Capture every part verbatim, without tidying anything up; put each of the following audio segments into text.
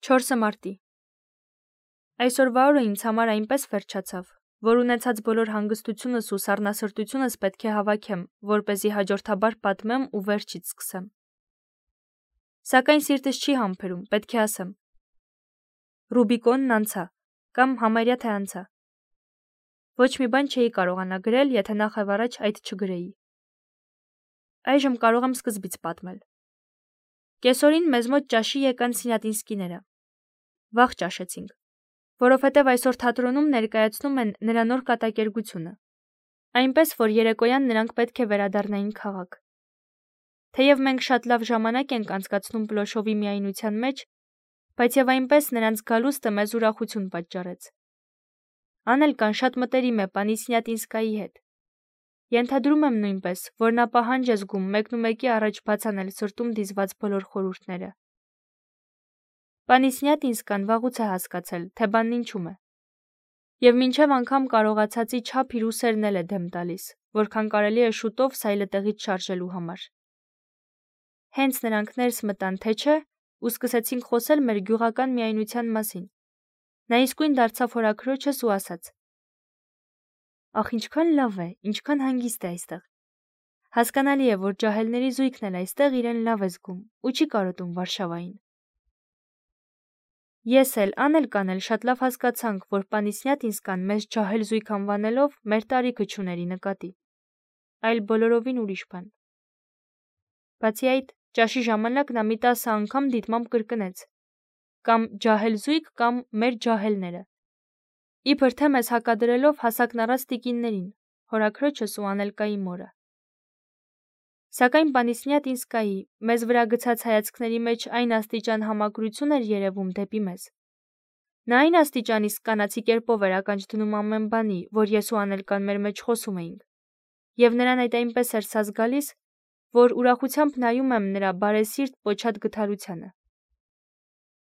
չորսը մարտի Այսօրվա օրը ինձ համար այնպես վերջացավ, որ ունեցած բոլոր հանգստությունս ու սառնասրտությունս պետք է հավաքեմ, որպեսզի հաջորդաբար պատմեմ ու վերջից սկսեմ։ Սակայն սիրտս չի համբերում, պետք է ասեմ։ Ռուբիկոնն անցա, կամ համարյա թե անցա։ Ոչ մի բան չէի կարողանա գրել, եթե նախավառաջ այդ չգրեի։ Այժմ կարող եմ սկզբից պատմել։ Կեսօրին մեզ մոտ ճաշի եկան Սինյատինսկիները։ Վաղ ճաշեցինք, որովհետև այսօր թատրոնում ներկայացնում են նրա նոր կատակերգությունը, այնպես որ երեկոյան նրանք պետք է վերադառնային քաղաք։ Թեև մենք շատ լավ ժամանակ ենք անցկացնում Պլոշովի միայնության մեջ, բայց եւ այնպես նրանց գալուստը մեզ ուրախություն պատճառեց։ Անելկան շատ մտերիմ է պանի Սինյատինսկայի հետ։ Ենթադրում եմ նույնպես, որ նա պահանջ է զգում մեկնումեկի առաջ բացանել սրտում դիզված բոլոր խորհուրդները։ Պանի Սինյատինսկան վաղուց է հասկացել, թե բանն ինչում է։ Եվ մինչև անգամ կարողացածի չափ իր ուսերն էլ է դեմ տալիս, որքան կարելի է շուտով սայլը տեղից շարժելու համար։ Հենց նրանք ներս մտան, թե չէ, ու սկսեցինք խոսել մեր գյուղական միայնության մասին։ Նա իսկույն դարձավ հորաքրոջս ու ասաց. Ախ, ինչքան լավ է, ինչքան հանգիստ է այստեղ։ Հասկանալի է, որ ջահելների զույգն էլ այստեղ իրեն լավ է զգում ու չի կարոտում Վարշավային։ Ես էլ, Անելկան էլ շատ լավ հասկացանք, որ պանի Սինյատինսկան մեզ ջահել զույգ անվանելով մեր տարիքը չուների նկատի, այլ բոլորովին ուրիշ բան։ Բացի այդ, ճաշի ժամանակ նա մի տասը անգամ դիտմամբ կրկնեց. կամ ջահել զույգ, կամ մեր ջահելները։ Իբր թե մեզ հակադրելով հասակն առած տիկիններին, հորաքրոջս ու Անելկայի մորը։ Սակայն պանի Սինյատինսկայի մեզ վրա գցած հայացքների մեջ այն աստիճան համակրություն էր երևում դեպի մեզ։ Նա այն աստիճան իսկ կանացի կերպով էր ականջ դնում ամեն բանի, որ ես ու Անելկան մեր մեջ խոսում էինք, եւ նրան այդ այնպես էր սազ գալիս, որ ուրախությամբ նայում եմ նրա բարեսիրտ պոչած գթարությանը։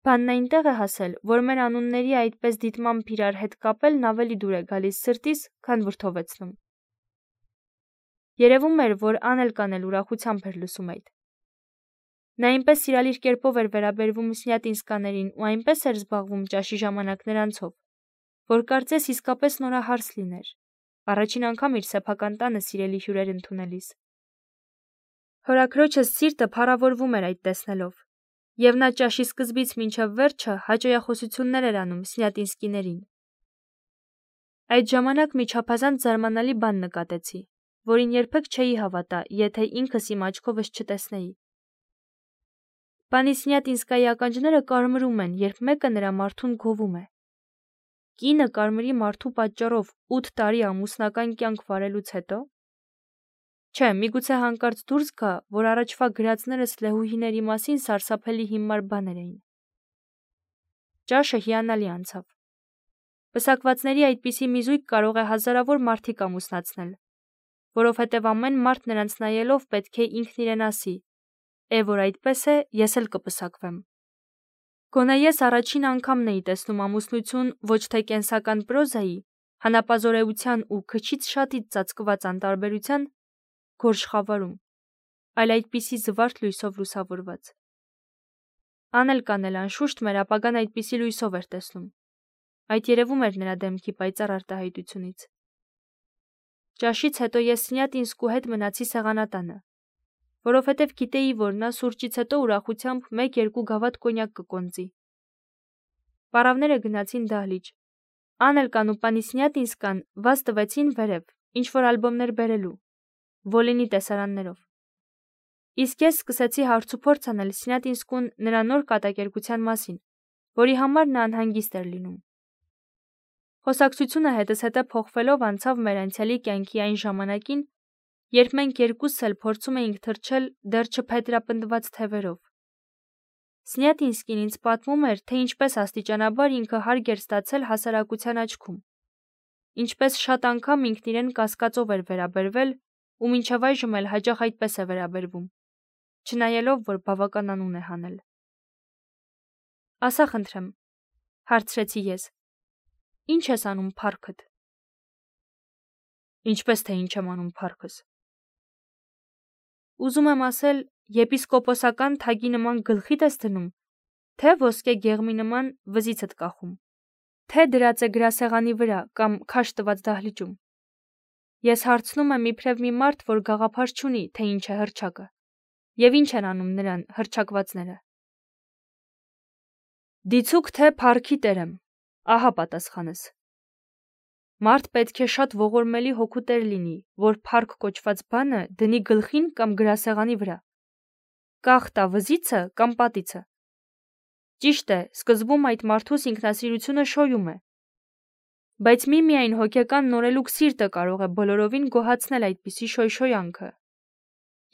Բանն այնտեղ է հասել, որ մեր անունների այդպես դիտմամբ իրար հետ կապելն ավելի դուր է գալիս սրտիս, քան վրդովեցնում։ Երևում էր, որ Անելկան էլ ուրախությամբ էր լսում այդ։ Նա այնպես սիրալիր կերպով էր վերաբերվում Սինյատինսկաներին ու այնպես էր զբաղվում ճաշի ժամանակ նրանցով, որ կարծես իսկապես նորահարս լիներ, առաջին անգամ իր սեփական տանը սիրելի հյուրեր ընդունելիս։ Հորաքրոջս սիրտը փառավորվում էր այդ տեսնելով, եւ նա ճաշի սկզբից մինչև վերջը հաճոյախոսություններ էր անում Սինյատինսկիներին։ Այդ ժամանակ մի չափազանց զարմանալի բան նկատեցի, որին երբեք չէի հավատա, եթե ինքս իմ աչքովս չտեսնեի։ Պանի Սինյատինսկայի ականջները կարմրում են, երբ մեկը նրա մարդուն գովում է։ Կինը կարմրի մարդու պատճառով ութ տարի ամուսնական կյանք վարելուց հետո։ Չէ, միգուցե հանկարծ դուրս գա, որ առաջվա գրածներս լեհուհիների մասին սարսափելի հիմար բաներ էին։ Ճաշը հիանալի անցավ։ Պսակվածների այդպիսի մի զույգ կարող է հազարավոր մարդիկ ամուսնացնել, որովհետև ամեն մարդ նրանց նայելով պետք է ինքն իրեն ասի. «Է, որ այդպես է, ես էլ կպսակվեմ»։ Գոնե ես առաջին անգամն էի տեսնում ամուսնություն ոչ թե կենսական պրոզայի, հանապազորեության ու քչից շատից ծածկված անտարբերության գորշ խավարում, այլ այդպիսի զվարթ լույսով լուսավորված։ Անելկան էլ անշուշտ մեր ապագան այդպիսի լույսով էր տեսնում։ Այդ երևում էր նրա դեմքի պայծառ արտահայտությունից։ Ճաշից հետո ես Սինյատինսկու հետ մնացի սեղանատանը, որովհետև գիտեի, որ նա սուրճից հետո ուրախությամբ մեկ-երկու գավաթ կոնյակ կկոնծի։ Պարավները գնացին դահլիճ։ Անելկան ու պանի Սինյատինսկան վազ տվեցին վերև, ինչ-որ ալբոմներ բերելու, Վոլինի տեսարաններով։ Իսկ ես սկսեցի հարցուփորձ անել Սինյատինսկուն նրա նոր կատակերգության մասին, որի համար նա անհանգիստ էր լինում։ Խոսակցությունը հետզհետե փոխվելով անցավ մեր անցյալի կյանքի այն ժամանակին, երբ մենք երկուսս էլ փորձում էինք թռչել դեռ չփետրապնդված թևերով։ Սինյատինսկին ինձ պատմում էր, թե ինչպես աստիճանաբար ինքը հարկ էր ստացել հասարակության աչքում, ինչպես շատ անգամ ինքն իրեն կասկածով էր վերաբերվել ու մինչև այժմ էլ հաճախ այդպես է վերաբերվում, չնայելով, որ բավական անուն է հանել։ Ասա խնդրեմ, հարցրեցի ես, ի՞նչ ես անում փառքդ։ Ինչպես թե ինչ եմ անում փառքս։ Ուզում եմ ասել, եպիսկոպոսական թագի նման գլխիդ ես դնում, թե ոսկե գեղմի նման վզիցդ կախում, թե դրած է գրասեղանի վրա կամ քաշ տված դահլիճում։ Ես հարցնում եմ իբրև մի մարդ, որ գաղափար չունի, թե ինչ է հռչակը, եւ ինչ են անում նրան հռչակվածները։ Դիցուք թե փառքի տեր եմ, ահա պատասխանս։ Մարդ պետք է շատ ողորմելի հոգու տեր լինի, որ փառք կոչված բանը դնի գլխին կամ գրասեղանի վրա, կախ տա վզիցը կամ պատիցը։ Ճիշտ է, սկզբում այդ մարդուս ինքնասիրությունը շոյում է, բայց միմիայն հոգեկան նորելուկ սիրտը կարող է բոլորովին գոհացնել այդպիսի շոյշոյանքը,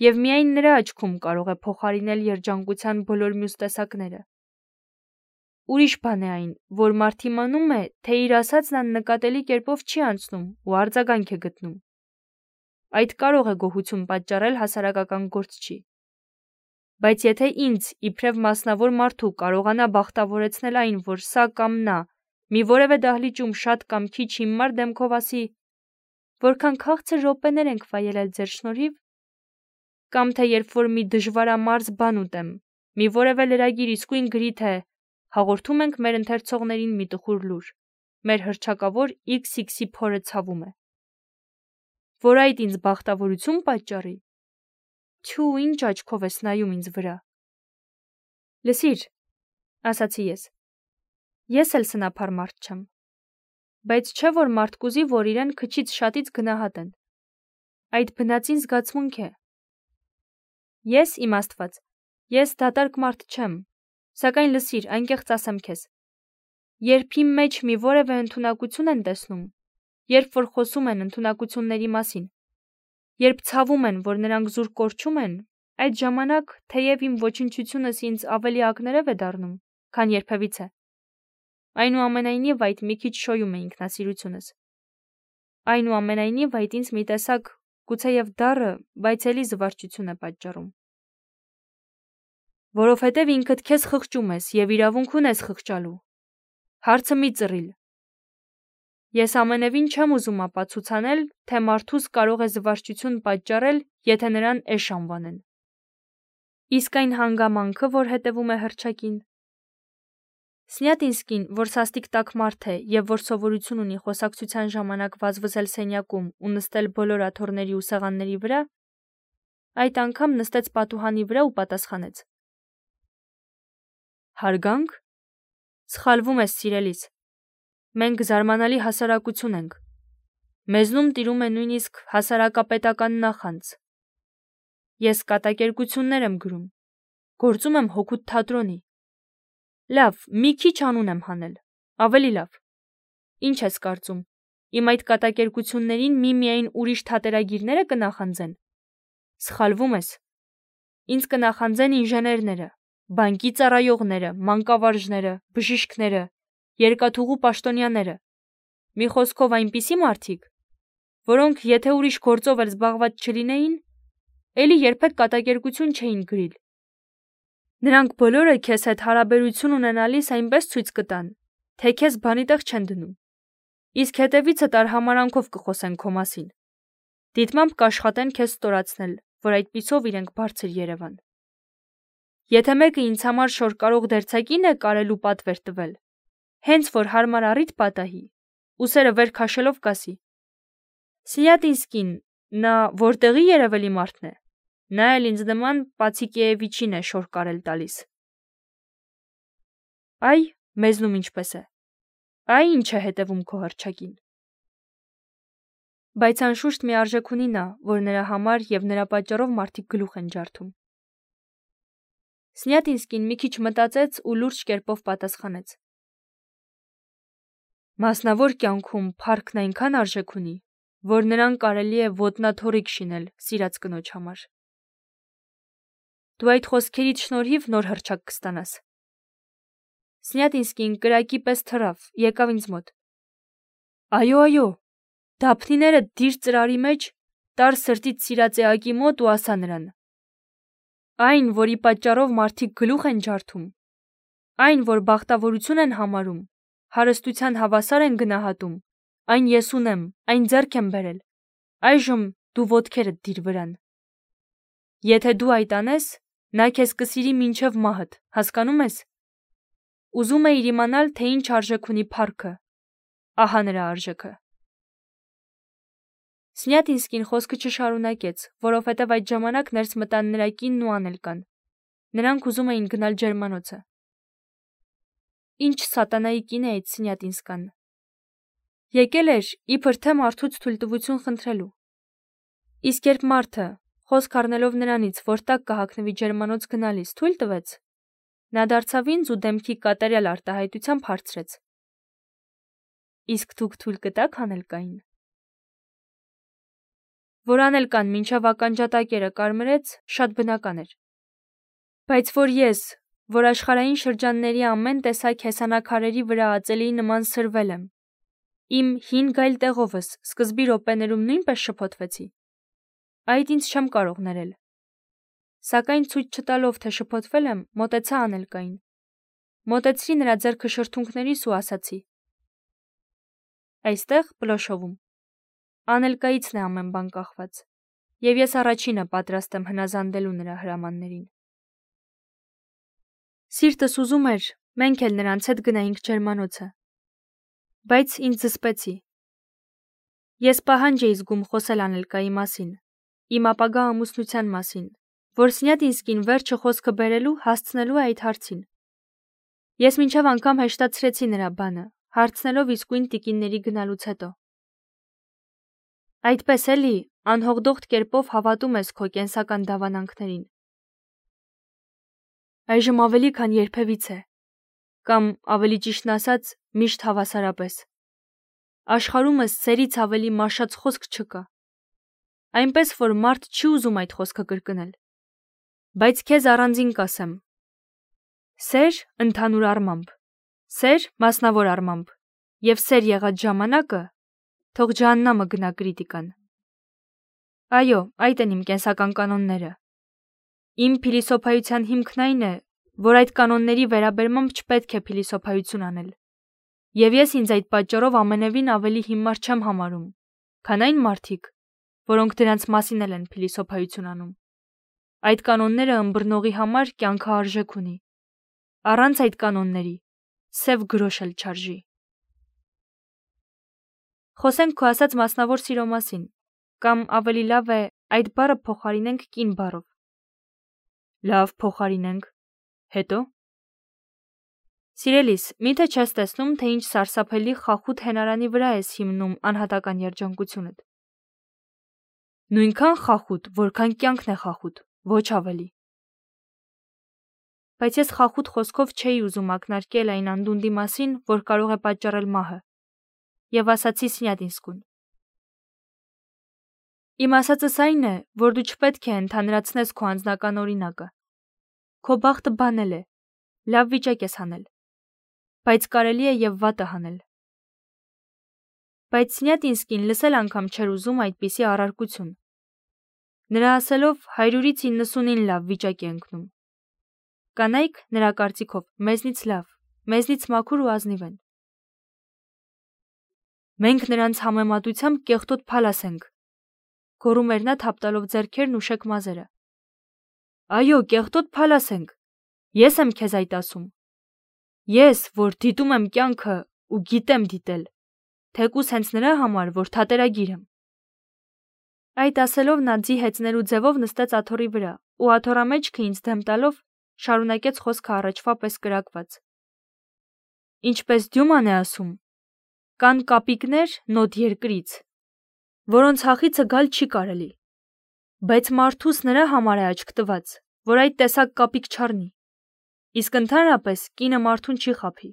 եւ միայն նրա աչքում կարող է փոխարինել երջանկության բոլոր մյուս տեսակները։ Ուրիշ բան է այն, որ մարդ իմանում է, թե իր ասածն աննկատելի կերպով չի անցնում ու արձագանք է գտնում։ Այդ կարող է գոհություն պատճառել հասարակական գործչի։ Բայց եթե ինձ, իբրև մասնավոր մարդու, կարողանա բախտավորեցնել այն, որ սա կամ նա մի որևէ դահլիճում շատ կամ քիչ հիմար դեմքով ասի, որքան քաղցր րոպեներ ենք վայելել ձեր շնորհիվ, կամ թե երբ որ մի դժվարամարզ բան ուտեմ, մի որևէ լրագիր իսկույն գրի, թե հաղորդում ենք մեր ընթերցողներին մի տխուր լուր, մեր հռչակավոր իքս իքսի փորը ցավում է, որ այդ ինձ բախտավորություն պատճառի, թյու, ինչ աչքով ես նայում ինձ վրա։ Լսիր, ասացի ես, ես էլ սնափար մարդ չեմ, բայց չէ որ մարդ կուզի, որ իրեն քչից շատից գնահատեն։ Այդ բնածին զգացմունք է։ Ես իմ Աստված, ես դատարկ մարդ չեմ, սակայն լսիր, անկեղծ ասեմ քեզ, երբ իմ մեջ մի որևէ ընդունակություն են տեսնում, երբ որ խոսում են ընդունակությունների մասին, երբ ցավում են, որ նրանք զուր կորչում են, այդ ժամանակ թեև իմ ոչնչությունս ինձ ավելի ակներև է դառնում, քան երբևիցե։ Այնուամենայնիվ այդ մի քիչ շոյում է ինքնասիրությունս։ Այնուամենայնիվ այդ ինձ մի տեսակ գուցեև դառը, բայց էլի զվարճություն է պատճառում։ Որովհետև ինքդ քեզ խղճում ես եւ իրավունք ունես խղճալու։ Հարցը մի ծռիլ։ Ես ամենևին չեմ ուզում ապացուցանել, թե մարդուս կարող է զվարճություն պատճառել, եթե նրան էշ անվանեն։ Իսկ այն հանգամանքը, որ հետևում է հռչակին։ Սնյատինսկին, որ սաստիկ տաք մարդ է եւ որ սովորություն ունի խոսակցության ժամանակ վազվզել սենյակում ու նստել բոլոր աթոռների ու սեղանների վրա, այդ անգամ նստեց պատուհանի վրա ու պատասխանեց. Հարգանք։ Սխալվում ես, սիրելիս։ Մենք զարմանալի հասարակություն ենք։ Մեզնում տիրում է նույնիսկ հասարակապետական նախանձ։ Ես կատակերգություններ եմ գրում, գործում եմ հոգուտ թատրոնի։ Լավ, մի քիչ անուն եմ հանել, ավելի լավ։ Ինչ ես կարծում, իմ այդ կատակերգություններին միմիայն ուրիշ թատերագիրները կնախանձեն։ Սխալվում ես։ Ինձ կնախանձեն ինժեներները, բանկի ծառայողները, մանկավարժները, բժիշկները, երկաթուղու պաշտոնյաները։ Մի խոսքով այնպիսի մարդիկ, որոնք եթե ուրիշ գործով էլ զբաղված չլինեին, էլի երբեք կատակերգություն չէին գրիլ։ Նրանք բոլորը քեզ հետ հարաբերություն ունենալիս այնպես ցույց կտան, թե քեզ բանի տեղ չեն դնում։ Իսկ հետևիցդ արհամարանքով կխոսեն քո մասին։ Դիտմամբ կաշխատեն քեզ ստորացնել, որ այդպիսով իրենք բարձր երևան։ Եթե մեկը ինձ համար շորկարող դերձակին է կարել ու պատվեր տվել, հենց որ հարմար առիթ պատահի, ուսերը վեր քաշելով կասի. Սնյատինսկին, նա որտեղի երևելի մարդն է, նա էլ ինձ նման Պացիկեևիչին է շորկարել տալիս։ Այ, մեզնում ինչպես է, այ ինչ է հետևում քո հռչակին։ Բայց անշուշտ մի արժեք ունի նա, որ նրա համար եւ նրա պատճառով մարդիկ գլուխ են ջարդում։ Սնյատինսկին մի քիչ մտածեց ու լուրջ կերպով պատասխանեց. Մասնավոր կյանքում փառքն այնքան արժեք ունի, որ նրան կարելի է ոտնաթոռիկ շինել սիրած կնոջ համար։ Դու այդ խոսքերիդ շնորհիվ նոր հռչակ կստանաս։ Սնյատինսկին կրակի պես թռավ, եկավ ինձ մոտ։ Այո, այո, դափնիները դիր ծրարի մեջ, տար սրտից սիրած էակի մոտ ու ասա նրան. Այն, որի պատճառով մարդիկ գլուխ են ջարդում, այն, որ բախտավորություն են համարում, հարստության հավասար են գնահատում, այն ես ունեմ, այն ձեռք եմ բերել, այժմ դու ոտքերդ դիր վրան։ Եթե դու այդ անես, նա քեզ կսիրի մինչև մահդ, հասկանում ես։ Ուզում է իր իմանալ, թե ինչ արժեք ունի փառքը։ Ահա նրա արժեքը։ Սնյատինսկին խոսքը չշարունակեց, որովհետև այդ ժամանակ ներս մտան նրա կինն ու Անելկան։ Նրանք ուզում էին գնալ ջերմանոցը։ Ինչ սատանայի կին է այդ Սնյատինսկան։ Եկել էր իբր թե մարդուց թույլտվություն խնդրելու։ Իսկ երբ մարդը, խոսք առնելով նրանից, որ տակ կհագնվի ջերմանոց գնալիս, թույլ տվեց, նա դարձավ ինձ ու դեմքի կատարյալ արտահայտությամբ հարցրեց. Իսկ դուք թույլ կտաք Անելկային։ Որ Անելկան մինչև ականջատակերը կարմրեց, շատ բնական էր։ Բայց որ ես, որ աշխարհային շրջանների ամեն տեսակ հեսանակարերի վրա ածելի նման սրվել եմ, իմ հին գայլ տեղովս սկզբի րոպեներում նույնպես շփոթվեցի, այդ ինձ չեմ կարող ներել։ Սակայն ցույց չտալով, թե շփոթվել եմ, մոտեցա Անելկային։ Մոտեցրի նրա ձեռքը շրթունքներիս ու ասացի. Այստեղ Պլոշովում Անելկայիցն է ամեն բան կախված, եւ ես առաջինը պատրաստ եմ հնազանդելու նրա հրամաններին։ Սիրտս ուզում էր, մենք էլ նրանց հետ գնայինք ջերմանոցը, բայց ինձ զսպեցի։ Ես պահանջ էի զգում խոսել Անելկայի մասին, իմ ապագա ամուսնության մասին, որ Սնյատինսկին վերջը խոսքը բերելու հասցնելու է այդ հարցին։ Ես մինչև անգամ հեշտացրեցի նրա բանը, հարցնելով իսկույն տիկինների գնալուց հետո։ Այդպես էլի, անհողդողդ կերպով հավատում ես քո կենսական դավանանքներին։ Այժմ ավելի քան երբևիցե, կամ ավելի ճիշտն ասած, միշտ հավասարապես։ Աշխարհումս սերից ավելի մաշած խոսք չկա։ Այնպես որ մարդ չի ուզում այդ խոսքը կրկնել։ Բայց քեզ առանձին կասեմ. սեր ընդհանուր առմամբ, սեր մասնավոր առմամբ, եւ սեր եղած ժամանակը թող ջահաննամը գնա կրիտիկան։ Այո, այդ են իմ կենսական կանոնները։ Իմ փիլիսոփայության հիմքն այն է, որ այդ կանոնների վերաբերմամբ չպետք է փիլիսոփայություն անել։ Եվ ես ինձ այդ պատճառով ամենևին ավելի հիմար չեմ համարում, քան այն մարդիկ, որոնք դրանց մասին էլ են փիլիսոփայություն անում։ Այդ կանոնները ըմբռնողի համար կյանքը արժեք ունի։ Առանց այդ կանոնների սև գրոշ էլ չարժի։ Խոսենք քո ասած մասնավոր սիրո մասին, կամ ավելի լավ է այդ բառը փոխարինենք կին բառով։ Լավ, փոխարինենք։ Հետո։ Սիրելիս, միթե չես տեսնում, թե ինչ սարսափելի խախուտ հենարանի վրա ես հիմնում անհատական երջանկությունդ։ Նույնքան խախուտ, որքան կյանքն է խախուտ, ոչ ավելի։ Բայց ես խախուտ խոսքով չէի ուզում ակնարկել այն անդունդի մասին, որ կարող է պատճառել մահը, եւ ասացի Սնյատինսկուն. Իմ ասածս այն է, որ դու չպետք է ընդհանրացնես քո անձնական օրինակը։ Քո բախտը բանել է, լավ վիճակ ես հանել, բայց կարելի է եւ վատը հանել։ Բայց Սնյատինսկին լսել անգամ չէր ուզում այդպիսի առարկություն։ Նրա ասելով հարյուրից իննսունին լավ վիճակ է ընկնում։ Կանայք, նրա կարծիքով, մեզնից լավ, մեզնից մաքուր ու ազնիվ են։ Մենք նրանց համեմատությամբ կեղտոտ փալաս ենք, գոռում էր նա թափտալով ձեռքերն ու շեք մազերը։ Այո, կեղտոտ փալաս ենք, ես եմ քեզ այդ ասում։ Ես, որ դիտում եմ կյանքը ու գիտեմ դիտել, թեկուզ հենց նրա համար, որ թատերագիր եմ։ Այդ ասելով նա ձի հեծներու ձևով նստեց աթոռի վրա ու աթոռամեջքը ինձ դեմ տալով շարունակեց խոսքը առաջվա պես կրակված։ Ինչպես Դյուման է ասում, կան կապիկներ նոտ երկրից, որոնց հախիցը գալ չի կարելի, բայց մարդուս նրա համար է աչք տված, որ այդ տեսակ կապիկ չառնի։ Իսկ ընդհանրապես կինը մարդուն չի խաբի,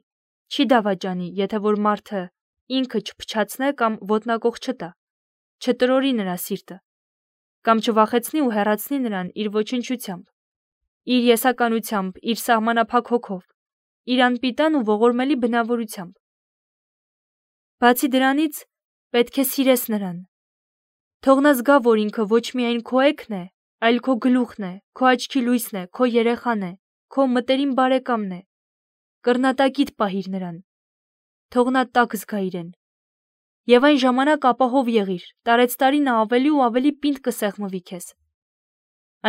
չի դավաճանի, եթե որ մարդը ինքը չփչացնե կամ ոտնակոխ չտա, չտրորի նրա սիրտը, կամ չվախեցնի ու հեռացնի նրան իր ոչնչությամբ, իր եսականությամբ, իր սահմանափակ հոգով, իր անպիտան ու ողորմելի բնավորությամբ։ Բացի դրանից, պետք է սիրես նրան։ Թող նա զգա, որ ինքը ոչ միայն քո էգն է, այլ քո գլուխն է, քո աչքի լույսն է, քո երեխան է, քո մտերիմ բարեկամն է։ Կռնատակիդ պահիր նրան։ Թող նա տաք զգա իրեն։ Եվ այն ժամանակ ապահով եղիր, տարեցտարի նա ավելի ու ավելի պինդ կսեղմվի քեզ։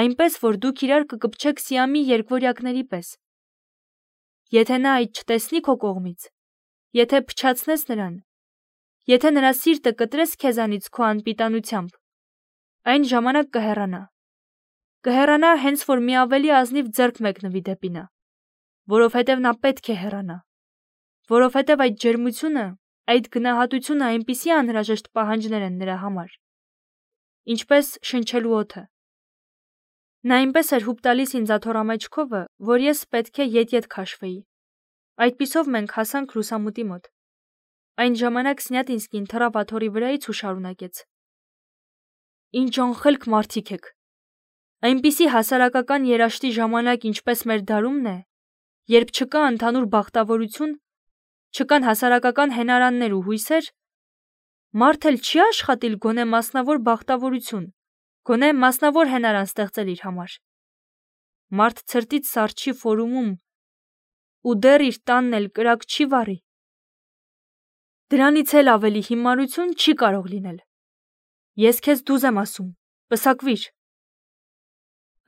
Այնպես, որ դուք իրար կկպչեք Սիամի երկվորյակների պես։ Եթե նա այդ չտեսնի քո կողմից, եթե փչացնես նրան, եթե նրա սիրտը կտրես քեզանից քո անպիտանությամբ, այն ժամանակ կհեռանա։ Կհեռանա հենց որ մի ավելի ազնիվ ձեռք մեկնվի դեպի նա, որովհետև նա պետք է հեռանա, որովհետև այդ ջերմությունը, այդ գնահատությունը այնպիսի անհրաժեշտ պահանջներ են նրա համար, ինչպես շնչելու օդը։ Նա այնպես էր հուպ տալիս ինձ աթոռամեջքովը, որ ես պետք է ետ-ետ քաշվեի։ Այդպիսով մենք հասանք լուսամուտի մոտ։ Այն ժամանակ Սնյատինսկին թռավ աթոռի վրայից ու շարունակեց. Ինչ անխելք մարդիկ եք։ Այնպիսի հասարակական երաշտի ժամանակ, ինչպես մեր դարումն է, երբ չկա ընդհանուր բախտավորություն, չկան հասարակական հենարաններ ու հույսեր, մարդ էլ չի աշխատիլ գոնե մասնավոր բախտավորություն, գոնե մասնավոր հենարան ստեղծել իր համար։ Մարդ ցրտից սառչի ֆորումում ու դեռ իր տանն էլ կրակ չի վառի։ Դրանից էլ ավելի հիմարություն չի կարող լինել։ Ես քեզ դուզ եմ ասում, պսակվիր։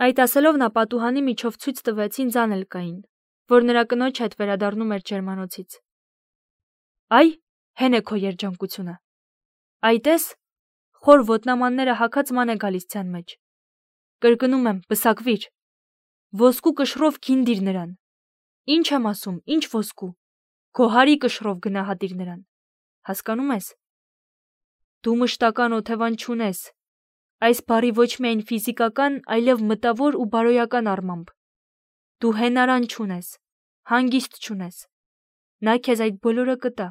Այդ ասելով նա պատուհանի միջով ցույց տվեց ինձ Անելկային, որ նրա կնոջ հետ վերադառնում էր ջերմանոցից։ Այ, հեն է քո երջանկությունը։ Այ տես, խոր ոտնամանները հագած ման է գալիս ձյան մեջ։ Կրկնում եմ, պսակվիր։ Ոսկու կշռով քինդիր նրան։ Ինչ եմ ասում, ինչ ոսկու։ Քո հարի կշռով գնահատիր նրան։ Հասկանում ես։ Դու մշտական օթևան չունես։ Այս բառի ոչ միայն ֆիզիկական, այլև մտավոր ու բարոյական առմամբ։ Դու հենարան չունես, հանգիստ չունես։ Նա քեզ այդ բոլորը կտա։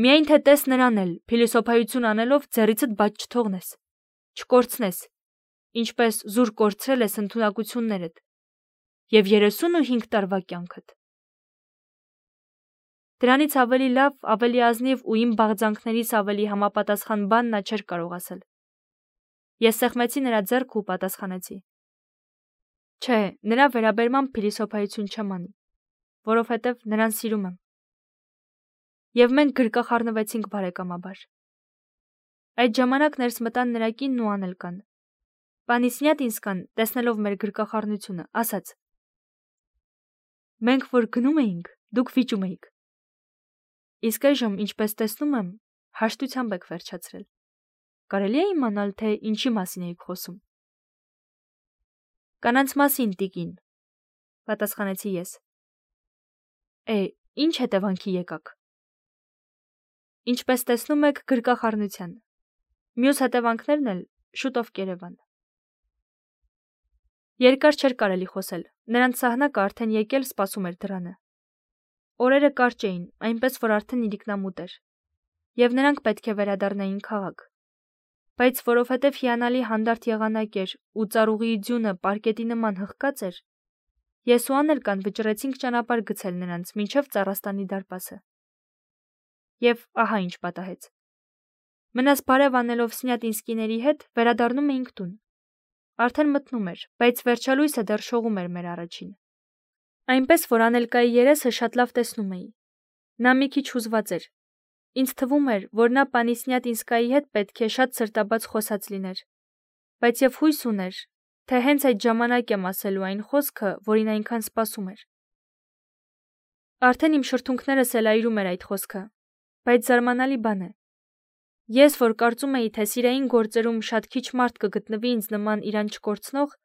Միայն թե տես նրան էլ, փիլիսոփայություն անելով ձեռիցդ բաց չթողնես, չկորցնես, ինչպես զուր կորցրել ես ընդունակություններդ և երեսունուհինգ տարվա կյանքդ։ Դրանից ավելի լավ, ավելի ազնիվ ու իմ բաղձանքներիս ավելի համապատասխան բան նա չէր կարող ասել։ Ես սեղմեցի նրա ձեռքը ու պատասխանեցի. Չէ, նրա վերաբերմամբ փիլիսոփայություն չեմ անի, որովհետև նրան սիրում եմ։ Եվ մենք գրկախառնվեցինք բարեկամաբար։ Այդ ժամանակ ներս մտան նրա կինն ու Անելկան։ Պանի Սնյատինսկան, տեսնելով մեր գրկախառնությունը, ասաց. Մենք որ գնում էինք, դուք վիճում էիք։ Իսկ այժմ, ինչպես տեսնում եմ, հաշտությամբ եք վերջացրել։ Կարելի է իմանալ, թե ինչի մասին էիք խոսում։ Կանանց մասին, տիկին, պատասխանեցի ես։ Է, ինչ հետևանքի եկաք։ Ինչպես տեսնում եք, գրկախառնության։ Մյուս հետևանքներն էլ շուտով կերևան։ Երկար չէր կարելի խոսել, նրանց սահնակը արդեն եկել սպասում էր դռանը։ Օրերը կարճ էին, այնպես որ արդեն իրիկնամուտ էր, և նրանք պետք է վերադառնային քաղաք։ Բայց որովհետև հիանալի հանդարտ եղանակ էր ու ծառուղիի ձյունը պարկետի նման հղկած էր, ես ու Անելկան վճռեցինք ճանապարհ գցել նրանց մինչև Ծառաստանի դարպասը։ Եվ ահա ինչ պատահեց։ Մնաս բարև անելով Սնյատինսկիների հետ վերադառնում էինք տուն։ Արդեն մթնում էր, բայց վերջալույսը դեռ շողում էր մեր առաջին։ Այնպես որ Անելկայի երեսը շատ լավ տեսնում էի։ Նա մի քիչ հուզված էր։ Ինձ թվում էր, որ նա պանի Սնյատինսկայի հետ պետք է շատ սրտաբաց խոսած լիներ, բայց և հույս ուներ, թե հենց այդ ժամանակ եմ ասելու այն խոսքը, որին այնքան սպասում էր։ Արդեն իմ շրթունքներս էլ այրում էր այդ խոսքը, բայց զարմանալի բան է։ Ես, որ կարծում էի, թե սիրային գործերում շատ քիչ մարդ կգտնվի ինձ նման իրան չկորցնող,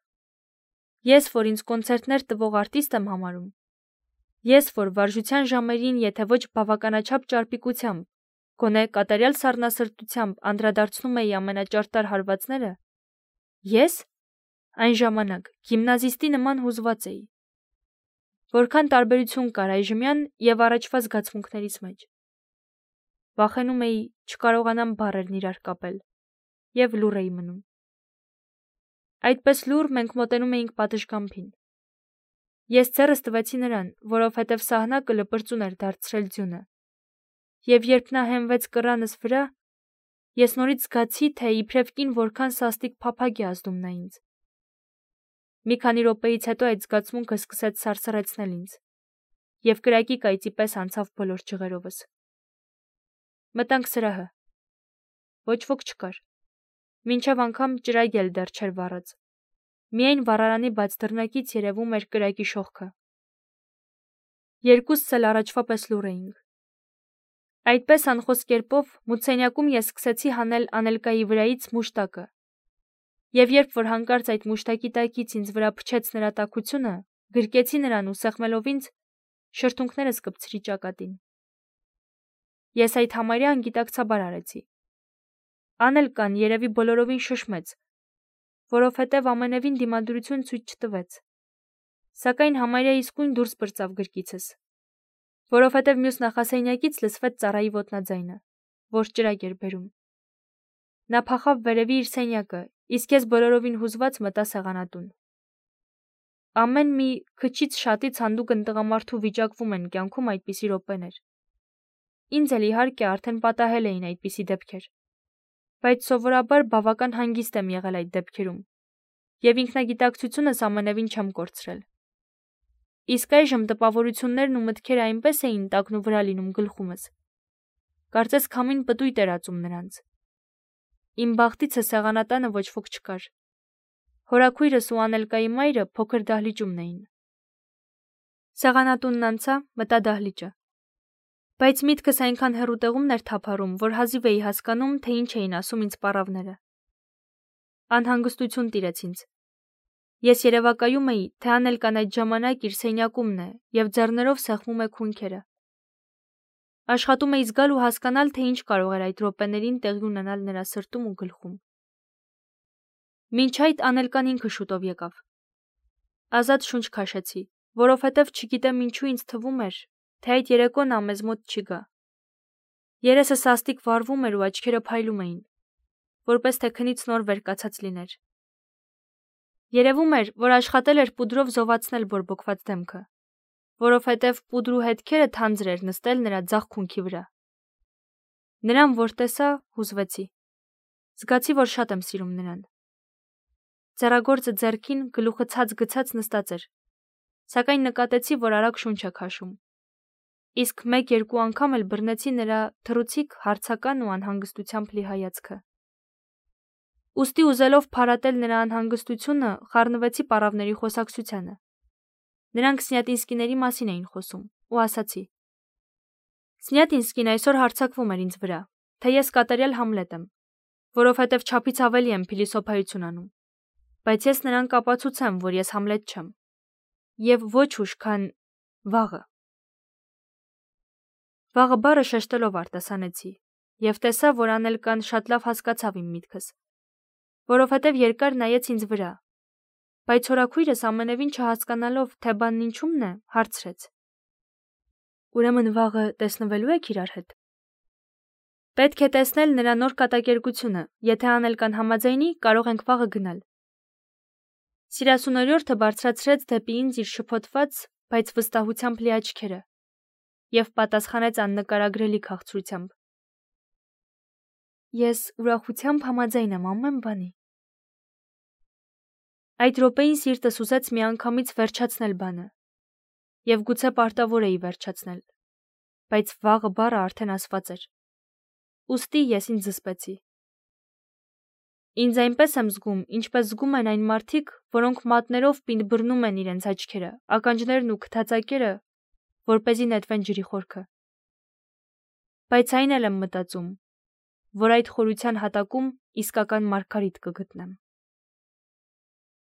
ես, որ ինձ կոնցերտներ տվող արտիստ եմ համարում, ես, որ վարժության ժամերին, եթե ոչ բավականաչափ ճարպիկությամբ, գոնե կատարյալ սառնասրտությամբ անդրադարձնում էի ամենաճարտար հարվածները, ես այն ժամանակ գիմնազիստի նման հուզված էի։ Որքան տարբերություն կար այժմյան և առաջվա զգացմունքներիս մեջ։ Վախենում էի չկարողանամ բառերն իրար կապել և լուռ էի մնում։ Այդպես լուռ մենք մոտենում էինք պատշգամբին։ Ես ձեռս տվեցի նրան, որովհետև սահնակը լպրծուն էր դարձրել ձյունը։ Եվ երբ նա հենվեց կռանս վրա, ես նորից զգացի, թե իբրև կին որքան սաստիկ փափագ է ազդում նա ինձ։ Մի քանի րոպեից հետո այդ զգացմունքը սկսեց սարսռեցնել ինձ, և կրակի կայծի պես անցավ բոլոր ջղերովս։ Մտանք սրահը։ Ոչ ոք չկար։ Մինչև անգամ ճրագ էլ դեռ չէր վառած։ Միայն վառարանի բաց դռնակից երևում էր կրակի շողքը։ Երկուսս էլ առաջվա պես լուռ էինք։ Այդպես անխոս կերպով մութսենյակում ես սկսեցի հանել Անելկայի վրայից մուշտակը։ Եվ երբ որ հանկարծ այդ մուշտակի տակից ինձ վրա փչեց նրա տաքությունը, գրկեցի նրան ու սեղմելով ինձ, շրթունքներս կպցրի ճակատին։ Ես այդ համարյա անգիտակցաբար արեցի։ Անելկան երևի բոլորովին շշմեց, որովհետև ամենևին դիմադրություն ցույց չտվեց, սակայն համարյա իսկույն դուրս պրծավ գրկիցս, որովհետև մյուս նախասենյակից լսվեց ծառայի ոտնաձայնը, որ ճրագ էր բերում։ Նա փախավ վերևի իր սենյակը, իսկ ես բոլորովին հուզված մտա սեղանատուն։ Ամեն մի քչից շատից հանդուգն տղամարդու վիճակվում են կյանքում այդպիսի րոպեներ։ Ինձ էլ իհարկե արդեն պատահել էին այդպիսի դեպքեր, բայց սովորաբար բավական հանգիստ եմ եղել այդ դեպքերում, եւ ինքնագիտակցությունս ամենևին չեմ կորցրել։ Իսկ այժմ տպավորություններն ու մտքերը այնպես էին տակն ու վրա լինում գլխումս, կարծես քամին պտույտ էր ածում նրանց։ Իմ բախտիցը սեղանատանը ոչ ոք չկար։ Հորաքույրս ու Անելկայի մայրը փոքր դահլիճումն էին։ Սեղանատունն անցա, մտա դահլիճը։ Բայց միտքս այնքան հեռու տեղումն էր թափառում, որ հազիվ էի հասկանում, թե ինչ էին ասում ինձ պառավները։ Անհանգստություն տիրեց ինձ։ Ես երևակայում էի, թե Անելկան այդ ժամանակ իր սենյակումն է եւ ձեռներով սեղմում է քունքերը։ Աշխատում էի զգալ ու հասկանալ, թե ինչ կարող էր այդ րոպեներին տեղի ունենալ նրա սրտում ու գլխում։ Մինչ այդ Անելկան ինքը շուտով եկավ։ Ազատ շունչ քաշեցի, որովհետև չգիտեմ ինչու ինձ թվում էր, թե այդ երեկոն նա մեզ մոտ չի գա։ Երեսը սաստիկ վառվում էր ու աչքերը փայլում էին, որպես թե քնից նոր վեր կացած լիներ։ Երևում էր, որ աշխատել էր պուդրով զովացնել բորբոքված դեմքը, որովհետև պուդրու հետքերը թանձր էր նստել նրա ձախ քունքի վրա։ Նրան որ տեսա, հուզվեցի։ Զգացի, որ շատ եմ սիրում նրան։ Ձեռագործը ձեռքին, գլուխը ցած գցած նստած էր, սակայն նկատեցի, որ արագ շունչ է քաշում։ Իսկ մեկ-երկու անգամ էլ բռնեցի նրա թռուցիկ, հարցական ու անհանգստությամբ լի հայացքը։ Ուստի ուզելով փարատել նրա անհանգստությունը, խառնվեցի պառավների խոսակցությանը։ Նրանք Սնյատինսկիների մասին էին խոսում, ու ասացի. Սնյատինսկին այսօր հարձակվում էր ինձ վրա, թե ես կատարյալ Համլետ եմ, որովհետև չափից ավելի եմ փիլիսոփայություն անում, բայց ես նրան կապացուցեմ, որ ես Համլետ չեմ, եւ ոչ ուշ, քան վաղը։ Վաղը բառը շեշտելով արտասանեցի, եւ տեսա, որ Անելկան շատ լավ հասկացավ իմ միտքս, որովհետև երկար նայեց ինձ վրա, բայց հորաքույրս ամենևին չհասկանալով, թե բանն ինչումն է, հարցրեց. Ուրեմն վաղը տեսնվելու եք իրար հետ։ Պետք է տեսնել նրա նոր կատակերգությունը, եթե Անելկան համաձայնի, կարող ենք վաղը գնալ։ Սիրասունորյորդը բարձրացրեց դեպի ինձ իր շփոթված, բայց վստահությամբ լի աչքերը եւ պատասխանեց աննկարագրելի քաղցրությամբ. Ես ուրախությամբ համաձայն եմ ամեն բանի։ Այդ րոպեին սիրտս ուզեց միանգամից վերջացնել բանը, եւ գուցե պարտավոր էի վերջացնել, բայց վաղը բառը արդեն ասված էր։ Ուստի ես ինձ զսպեցի։ Ինձ այնպես եմ զգում, ինչպես զգում են այն մարդիկ, որոնք մատներով պինդ բռնում են իրենց աչքերը, ականջներն ու քթածակերը, որպեսզի նետվեն ջրի խորքը։ Բայց այն էլ եմ մտածում, որ այդ խորության հատակում իսկական Մարգարիտ կգտնեմ։